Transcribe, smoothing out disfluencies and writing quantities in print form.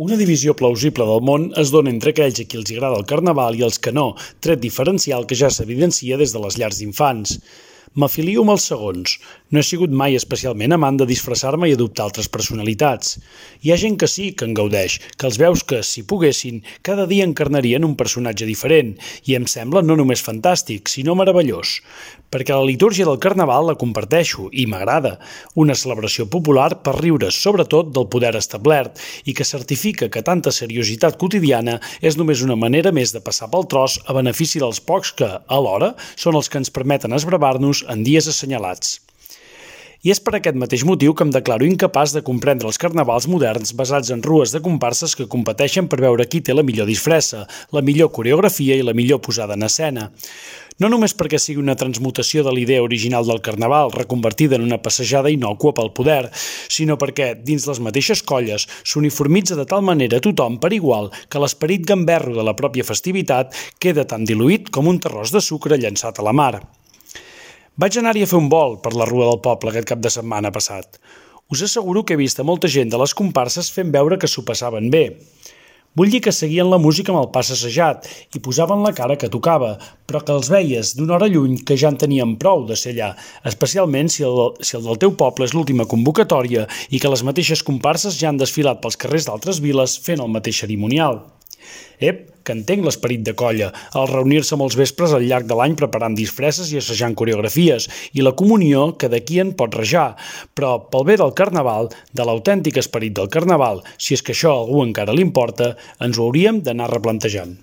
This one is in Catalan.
Una divisió plausible del món es dona entre aquells a qui els agrada el carnaval i els que no, tret diferencial que ja s'evidencia des de les llars d'infants. M'afilio amb els segons. No he sigut mai especialment amant de disfressar-me i adoptar altres personalitats. Hi ha gent que sí, que en gaudeix, que els veus que, si poguessin, cada dia encarnarien un personatge diferent, i em sembla no només fantàstic, sinó meravellós. Perquè la litúrgia del carnaval la comparteixo, i m'agrada. Una celebració popular per riure sobretot del poder establert, i que certifica que tanta seriositat quotidiana és només una manera més de passar pel tros a benefici dels pocs que, alhora, són els que ens permeten esbravar-nos en dies assenyalats. I és per aquest mateix motiu que em declaro incapaç de comprendre els carnavals moderns basats en rues de comparses que competeixen per veure qui té la millor disfressa, la millor coreografia i la millor posada en escena. No només perquè sigui una transmutació de la idea original del carnaval, reconvertida en una passejada innòcua pel poder, sinó perquè, dins les mateixes colles, s'uniformitza de tal manera tothom per igual que l'esperit gamberro de la pròpia festivitat queda tan diluït com un terròs de sucre llançat a la mar. Vaig anar-hi a fer un vol per la Rua del Poble aquest cap de setmana passat. Us asseguro que he vist a molta gent de les comparses fent veure que s'ho passaven bé. Vull dir que seguien la música amb el pas assajat i posaven la cara que tocava, però que els veies d'una hora lluny que ja en tenien prou de ser allà, especialment si el del teu poble és l'última convocatòria i que les mateixes comparses ja han desfilat pels carrers d'altres viles fent el mateix cerimonial. Que entenc l'esperit de colla, el reunir-se molts vespres al llarg de l'any preparant disfresses i assajant coreografies, i la comunió que d'aquí en pot rajar, però pel bé del carnaval, de l'autèntic esperit del carnaval, si és que això a algú encara li importa, ens ho hauríem d'anar replantejant.